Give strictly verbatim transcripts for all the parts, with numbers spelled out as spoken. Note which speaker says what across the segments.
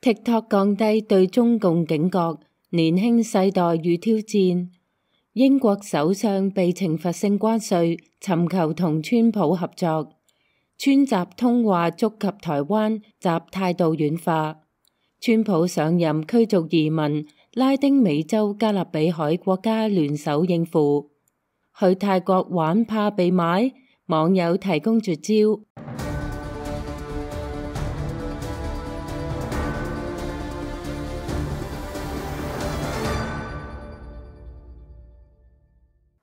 Speaker 1: TikTok 降低對中共警覺，年輕世代遇挑戰。英國首相被懲罰性關稅，尋求同川普合作。川習通話觸及台灣，習態度軟化。川普上任驅逐移民，拉丁美洲加勒比海國家聯手應付。去泰國玩怕被買，網友提供絕招。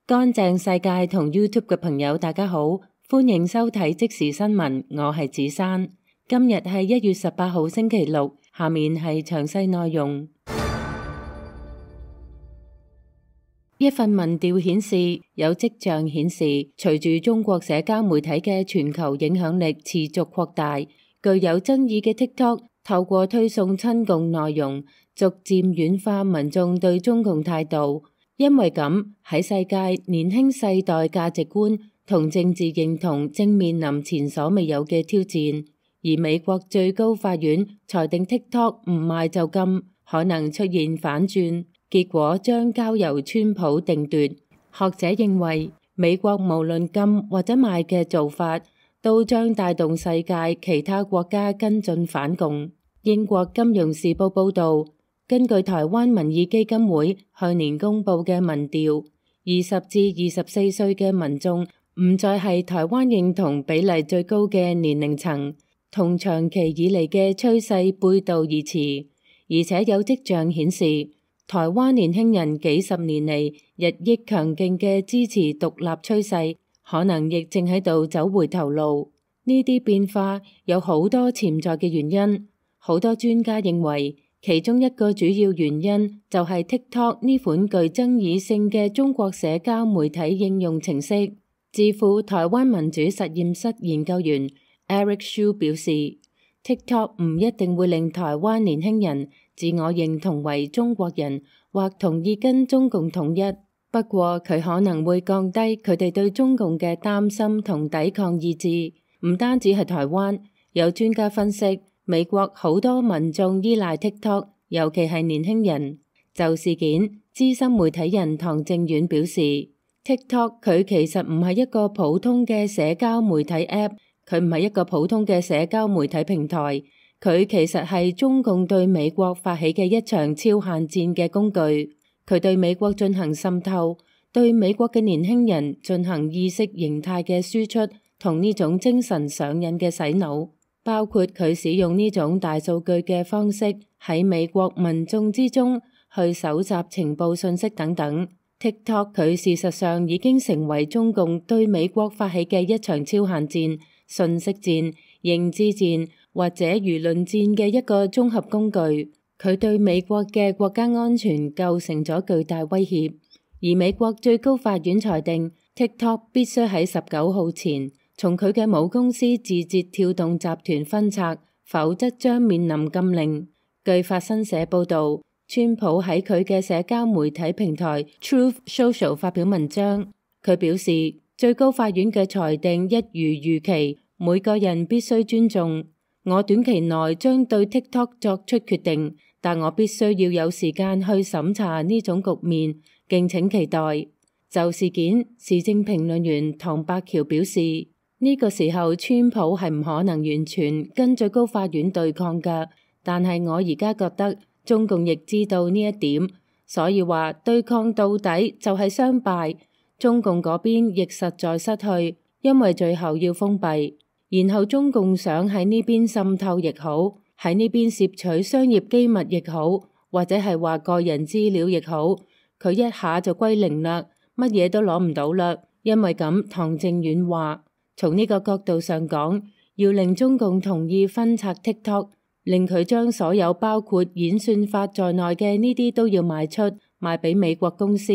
Speaker 1: 乾淨世界同 YouTube 嘅朋友，大家好，歡迎收睇即時新聞，我係子珊。今日係一月十八號星期六，下面係詳細內容。一份民調顯示，有跡象顯示，隨住中國社交媒體嘅全球影響力持續擴大，具有爭議嘅 TikTok 透過推送親共內容，逐漸軟化民眾對中共態度。因為咁，喺世界年輕世代價值觀同政治認同正面臨前所未有嘅挑戰。而美國最高法院裁定 TikTok 唔賣就禁，可能出現反轉，結果將交由川普定奪。學者認為，美國無論禁或者賣嘅做法，都將帶動世界其他國家跟進反共。英國金融時報報導，根據台灣民意基金會去年公布嘅民調，二十至二十四歲嘅民眾唔再係台灣認同比例最高嘅年齡層，同長期以嚟嘅趨勢背道而馳，而且有跡象顯示，台灣年輕人幾十年嚟日益強勁嘅支持獨立趨勢，可能亦正喺度走回頭路。呢啲變化有好多潛在嘅原因，好多專家認為，其中一個主要原因就係 TikTok 呢款具爭議性嘅中國社交媒體應用程式。智庫台灣民主實驗室研究員 Eric Shu 表示， TikTok 唔一定會令台灣年輕人自我認同為中國人或同意跟中共統一，不過佢可能會降低佢哋對中共嘅擔心同抵抗意志。唔單止係台灣，有專家分析，美國好多民眾依賴 TikTok， 尤其係年輕人。就事件，資深媒體人唐正遠表示， TikTok 佢其實唔係一個普通嘅社交媒體 App， 佢唔係一個普通嘅社交媒體平台，佢其實係中共對美國發起嘅一場超限戰嘅工具。佢對美國進行滲透，對美國嘅年輕人進行意識形態嘅輸出，同呢種精神上癮嘅洗腦。包括佢使用呢種大數據嘅方式喺美國民眾之中去搜集情報信息等等。TikTok 佢事實上已經成為中共對美國發起嘅一場超限戰、信息戰、認知戰或者輿論戰嘅一個綜合工具。佢對美國嘅國家安全構成咗巨大威脅。而美國最高法院裁定 TikTok 必須喺十九號前從佢嘅母公司字節跳動集團分拆，否則將面臨禁令。據法新社報導，川普喺佢嘅社交媒體平台 Truth Social 發表文章，佢表示最高法院嘅裁定一如預期，每個人必須尊重。我短期內將對 TikTok 作出決定，但我必須要有時間去審查呢種局面，敬請期待。就事件，時政評論員唐伯橋表示，呢個時候川普係唔可能完全跟最高法院對抗㗎，但係我而家覺得中共亦知道呢一點，所以話對抗到底就係雙敗。中共嗰邊亦實在失去，因為最後要封閉，然後中共想喺呢邊滲透亦好，喺呢邊攝取商業機密亦好，或者係話個人資料亦好，佢一下就歸零啦，乜嘢都攞唔到啦。因為咁，唐正遠話，從呢個角度上講，要令中共同意分拆 TikTok， 令佢將所有包括演算法在內嘅呢啲都要賣出，賣俾美國公司，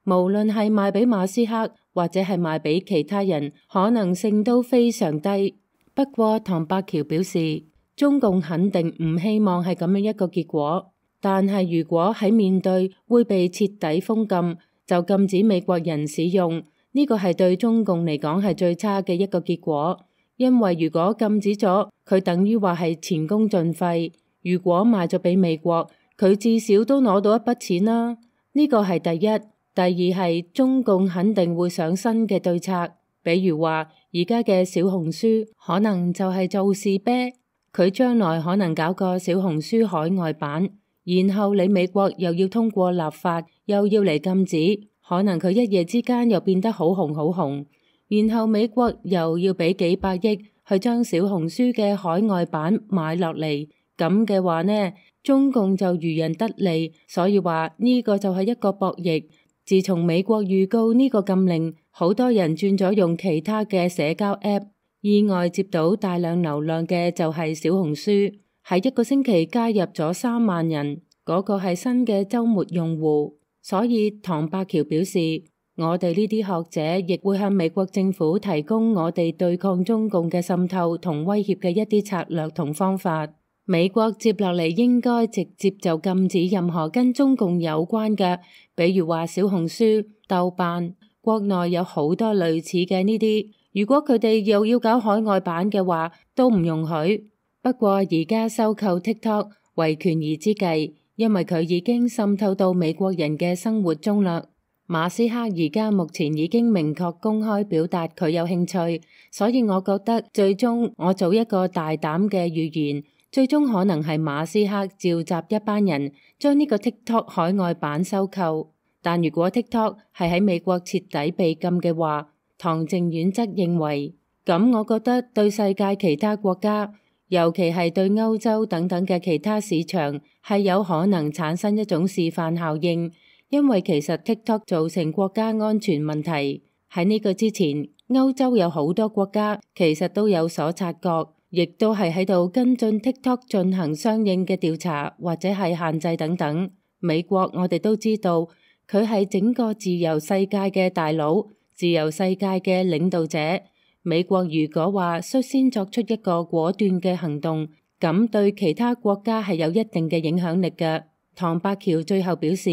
Speaker 1: 無論係賣俾馬斯克或者係賣俾其他人，可能性都非常低。不過唐伯橋表示，中共肯定唔希望係咁樣一個結果，但係如果喺面對會被徹底封禁，就禁止美國人使用。呢個係對中共嚟講係最差嘅一個結果，因為如果禁止咗，佢等於話係前功盡廢。如果賣咗俾美國，佢至少都攞到一筆錢啦。呢個係第一。第二係中共肯定會想新嘅對策，比如話而家嘅小紅書可能就係做事啤，佢將來可能搞個小紅書海外版，然後你美國又要通過立法，又要嚟禁止，可能佢一夜之間又變得好紅好紅，然後美國又要俾幾百億去將小紅書嘅海外版買落嚟，咁嘅話呢，中共就漁人得利，所以話呢個就係一個博弈。自從美國預告呢個禁令，好多人轉咗用其他嘅社交 App， 意外接到大量流量嘅就係小紅書，喺一個星期加入咗三萬人，嗰個係新嘅週末用戶。所以唐伯橋表示，我哋呢啲學者亦會向美國政府提供我哋對抗中共嘅滲透同威脅嘅一啲策略同方法。美國接落嚟應該直接就禁止任何跟中共有關嘅，比如話小紅書、豆瓣，國內有好多類似嘅呢啲。如果佢哋又要搞海外版嘅話，都唔容許。不過而家收購 TikTok 為權宜之計，因為佢已經滲透到美國人嘅生活中啦。馬斯克而家目前已經明確公開表達佢有興趣，所以我覺得最終我做一個大膽嘅預言。最終可能係馬斯克召集一班人將呢個 TikTok 海外版收購，但如果 TikTok 係喺美國徹底被禁嘅話，唐靖遠則認為，咁我覺得對世界其他國家，尤其係對歐洲等等嘅其他市場，係有可能產生一種示範效應，因為其實 TikTok 造成國家安全問題。喺呢個之前，歐洲有好多國家其實都有所察覺，亦都係喺度跟進 TikTok 進行相應嘅調查或者係限制等等。美國我哋都知道，佢係整個自由世界嘅大佬，自由世界嘅領導者。美國如果話率先作出一個果斷嘅行動，咁對其他國家係有一定嘅影響力嘅。唐伯橋最後表示，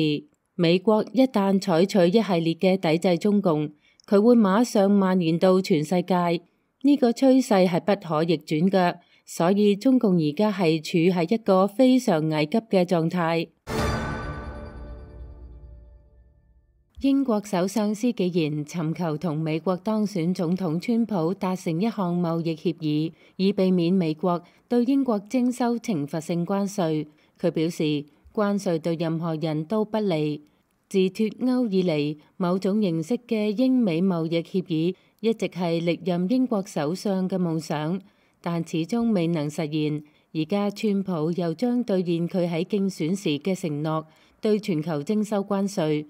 Speaker 1: 美國一旦採取一系列嘅抵制中共，佢會馬上蔓延到全世界。呢個趨勢係不可逆轉嘅，所以中共而家係處喺一個非常危急嘅狀態。英國首相施紀賢尋求同美國當選總統川普達成一項貿易協議，以避免美國對英國徵收懲罰性關稅。佢表示，關稅對任何人都不利。自脫歐以嚟，某種形式嘅英美貿易協議一直係歷任英國首相嘅夢想，但始終未能實現。而家川普又將兌現佢喺競選時嘅承諾，對全球徵收關稅。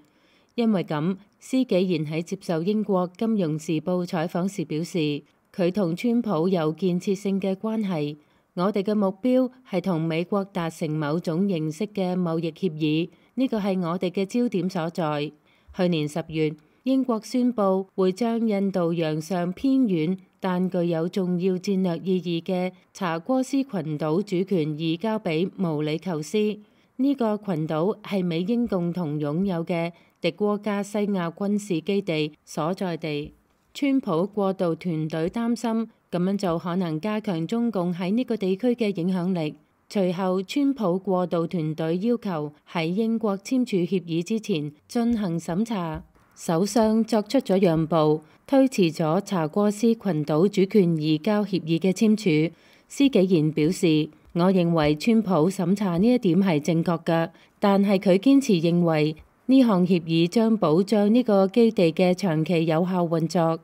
Speaker 1: 因為咁，施紀賢喺接受英國金融時報採訪時表示，佢同川普有建設性嘅關係。我哋嘅目標係同美國達成某種形式嘅貿易協議，呢個係我哋嘅焦點所在。去年十月，英國宣布會將印度洋上偏遠但具有重要戰略意義嘅查戈斯群島主權移交俾毛里求斯。呢、這個群島係美英共同擁有嘅迪戈加西亞軍事基地所在地。川普過渡團隊擔心咁樣就可能加強中共喺呢個地區嘅影響力。隨後，川普過渡團隊要求喺英國簽署協議之前進行審查。首相作出咗讓步，推遲咗查戈斯群島主權移交協議嘅簽署。施紀賢表示，我認為川普審查呢一點係正確嘅，但係佢堅持認為呢項協議將保障呢個基地嘅長期有效運作。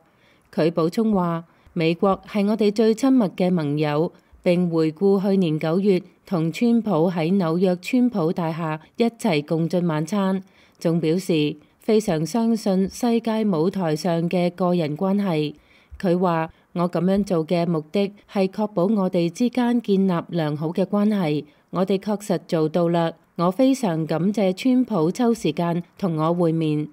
Speaker 1: 佢補充話，美國係我哋最親密嘅盟友，並回顧去年九月同川普喺紐約川普大廈一齊共進晚餐，仲表示非常相信世界舞台上嘅個人關係。佢話，我咁樣做嘅目的係確保我哋之間建立良好嘅關係，我哋確實做到啦。我非常感謝川普抽時間同我會面。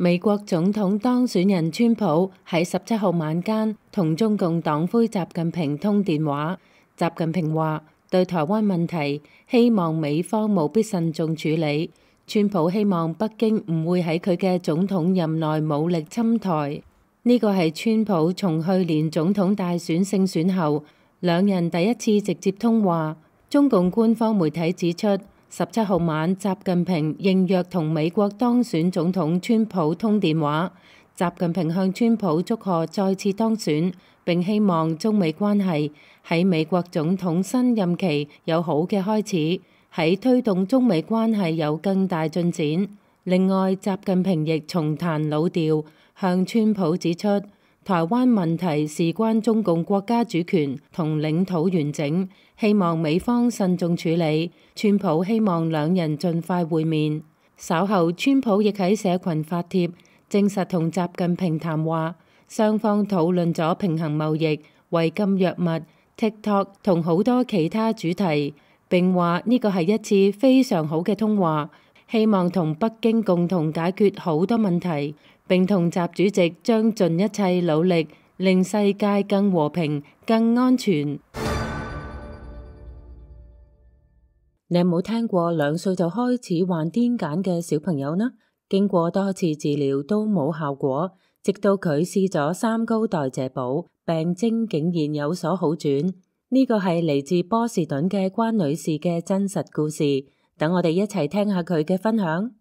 Speaker 1: 美國總統當選人川普喺十七號晚間同中共黨魁習近平通電話。習近平話，對台灣問題，希望美方務必慎重處理。川普希望北京唔會喺佢嘅總統任內武力侵台。呢個係川普從去年總統大選勝選後兩人第一次直接通話。中共官方媒體指出，十七號晚習近平應約同美國當選總統川普通電話。習近平向川普祝賀再次當選，並希望中美關係喺美國總統新任期有好嘅開始，喺推動中美關係有更大進展。另外，習近平亦重彈老調，向川普指出，台灣問題事關中共國家主權同領土完整，希望美方慎重處理。川普希望兩人盡快會面。稍後，川普亦喺社群發帖，證實同習近平談話，雙方討論咗平衡貿易、違禁藥物、TikTok 同好多其他主題，並話呢個係一次非常好嘅通話，希望同北京共同解決好多問題，並同習主席將盡一切努力令世界更和平、更安全。你有冇聽過兩歲就開始患癲癇嘅小朋友呢？經過多次治療都冇效果，直到佢試咗三高代謝寶，病徵竟然有所好轉。呢個係嚟自波士頓嘅關女士嘅真實故事。等我哋一齊聽下佢嘅分享。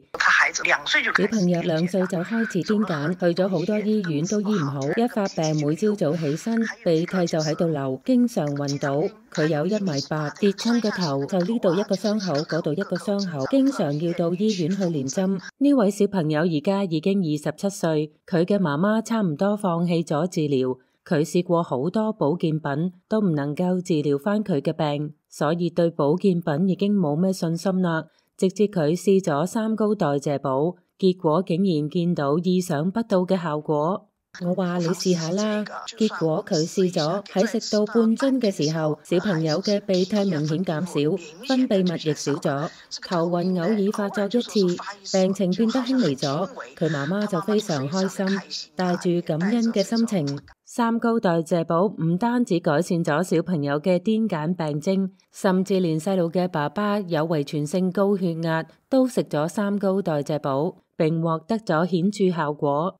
Speaker 1: 小朋友兩歲就開始癲癇，去咗好多醫院都醫唔好，一發病每朝早起身鼻涕就喺度流，經常暈倒。佢有一米八，跌親個頭就呢度一個傷口，嗰度一個傷口，經常要到醫院去連針。呢位小朋友而家已經二十七歲，佢嘅媽媽差唔多放棄咗治療，佢試過好多保健品都唔能夠治療返佢嘅病，所以對保健品已經冇咩信心啦。直至佢試咗三高代謝寶，結果竟然見到意想不到嘅效果。我話你試下啦，結果佢試咗，喺食到半樽嘅時候，小朋友嘅鼻涕明顯減少，分泌物亦少咗，頭暈偶爾發作一次，病情變得輕微咗。佢媽媽就非常開心，帶住感恩嘅心情。三高代謝寶唔單止改善咗小朋友嘅癲癇病徵，甚至連細路嘅爸爸有遺傳性高血壓都食咗三高代謝寶，並獲得咗顯著效果。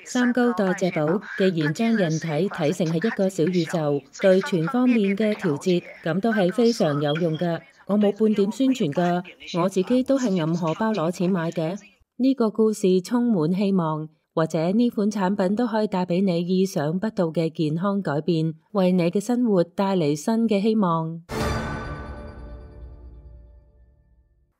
Speaker 1: 三高代謝寶既然將人體睇成係一個小宇宙，對全方面嘅調節，咁都係非常有用㗎。我冇半點宣傳㗎，我自己都係揞荷包攞錢買嘅。呢個故事充滿希望，或者呢款產品都可以帶俾你意想不到嘅健康改變，為你嘅生活帶嚟新嘅希望。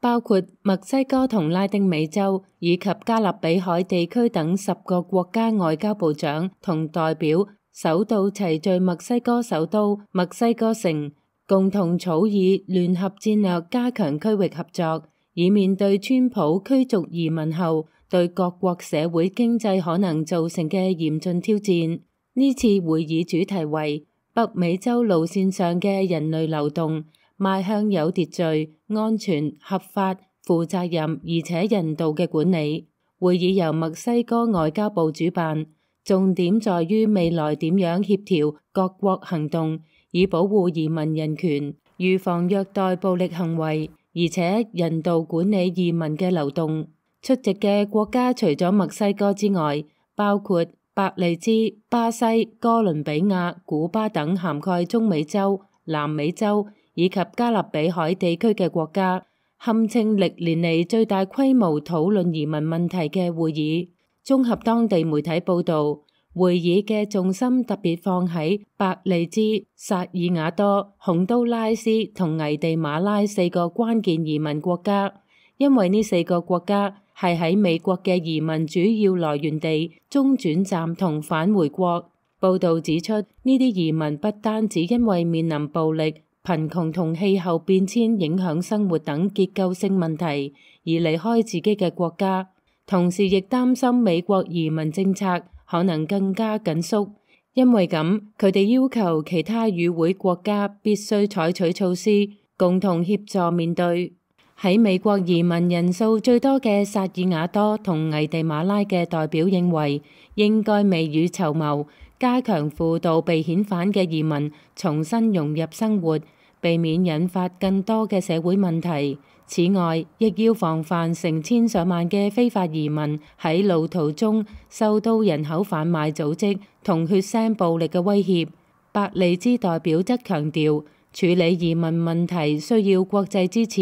Speaker 1: 包括墨西哥同拉丁美洲以及加勒比海地區等十個國家外交部長同代表首度齊聚墨西哥首都墨西哥城，共同草擬聯合戰略，加強區域合作，以面對川普驅逐移民後對各國社會經濟可能造成嘅嚴峻挑戰。呢次會議主題為北美洲路線上嘅人類流動，邁向有秩序、安全、合法、負責任而且人道嘅管理。會議由墨西哥外交部主辦，重點在於未來點樣協調各國行動，以保護移民人權、預防虐待暴力行為，而且人道管理移民嘅流動。出席嘅國家除咗墨西哥之外，包括伯利茲、巴西、哥倫比亞、古巴等涵蓋中美洲、南美洲以及加勒比海地區嘅國家，堪稱歷年嚟最大規模討論移民問題嘅會議。綜合當地媒體報導，會議嘅重心特別放喺伯利茲、薩爾瓦多、洪都拉斯同危地馬拉四個關鍵移民國家，因為呢四個國家係喺美國嘅移民主要來源地、中轉站同返回國。報導指出，呢啲移民不單止因為面臨暴力、貧窮同氣候變遷影響生活等結構性問題而離開自己嘅國家，同時亦擔心美國移民政策可能更加緊縮。因為咁，佢哋要求其他與會國家必須採取措施，共同協助面對。喺美國移民人數最多嘅薩爾瓦多同危地馬拉嘅代表認為，應該未雨綢繆，加強輔導被遣返嘅移民重新融入生活，避免引發更多嘅社會問題。此外，亦要防範成千上萬嘅非法移民喺路途中受到人口販賣組織同血腥暴力嘅威脅。伯利茲代表則強調，處理移民問題需要國際支持，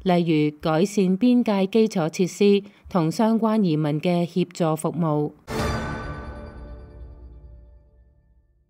Speaker 1: 例如改善邊界基礎設施同相關移民嘅協助服務。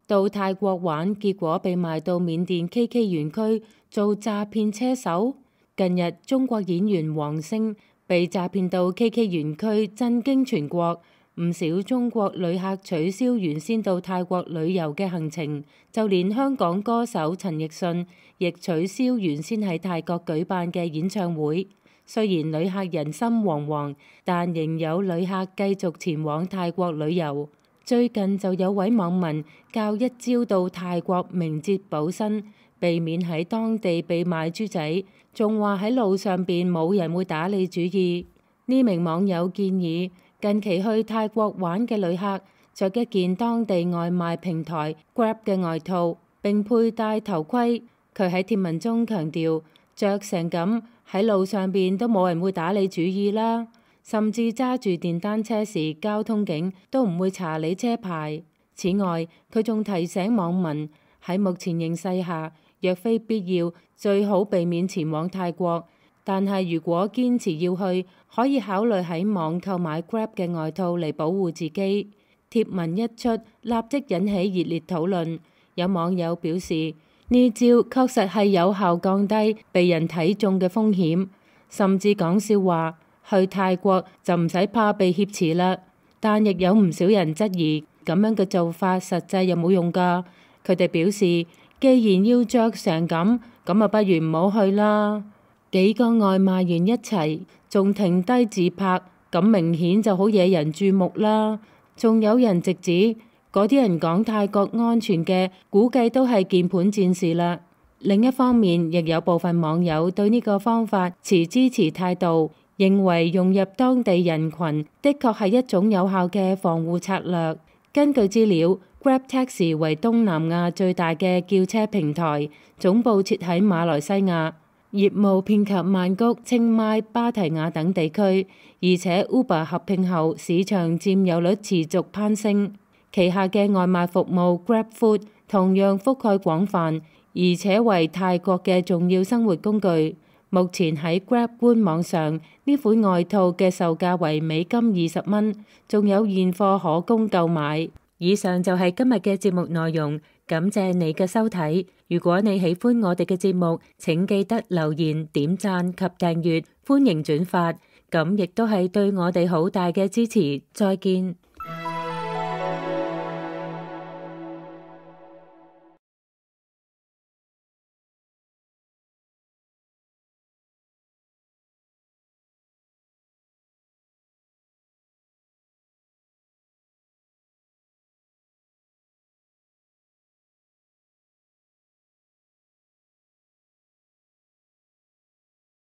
Speaker 1: 到泰國玩，結果被賣到緬甸 K K 園區做詐騙車手。近日，中國演員王星被詐騙到 K K 園區，震驚全國。唔少中國旅客取消原先到泰國旅遊嘅行程，就連香港歌手陳奕迅亦取消原先喺泰國舉辦嘅演唱會。雖然旅客人心惶惶，但仍有旅客繼續前往泰國旅遊。最近就有位網民教一招到泰國明哲保身，避免喺當地被賣豬仔，仲話喺路上邊冇人會打你主意。呢名網友建議，近期去泰國玩嘅旅客着一件當地外賣平台 Grab 嘅外套，並佩戴頭盔。佢喺貼文中強調，着成咁喺路上邊都冇人會打你主意啦，甚至揸住電單車時，交通警都唔會查你車牌。此外，佢仲提醒網民喺目前形勢下，若非必要，最好避免前往泰國。但係如果堅持要去，可以考慮喺網購買 Grab 嘅外套嚟保護自己。貼文一出，立即引起熱烈討論。有網友表示，呢招確實係有效降低被人睇中嘅風險，甚至講笑話去泰國就唔使怕被挾持啦。但亦有唔少人質疑咁樣嘅做法實際有冇用㗎。佢哋表示，既然要着成咁，咁啊不如唔好去啦。幾個外賣員一齊，仲停低自拍，咁明顯就好惹人注目啦。仲有人直指嗰啲人講泰國安全嘅，估計都係鍵盤戰士啦。另一方面，亦有部分網友對呢個方法持支持態度，認為融入當地人群的確係一種有效嘅防護策略。根據資料，Grab Taxi 為東南亞最大嘅叫車平台，總部設喺馬來西亞。業務遍及曼谷、清邁、芭提雅等地區，而且 Uber 合併後市場佔有率持續攀升。旗下嘅外賣服務 GrabFood 同樣覆蓋廣泛，而且為泰國嘅重要生活工具。目前喺 Grab 官網上，呢款外套嘅售價為美金二十蚊，仲有現貨可供購買。以上就係今日嘅節目內容，感謝你嘅收睇。如果你喜歡我哋嘅節目，請記得留言、點讚及訂閱，歡迎轉發，咁亦都係對我哋好大嘅支持。再見。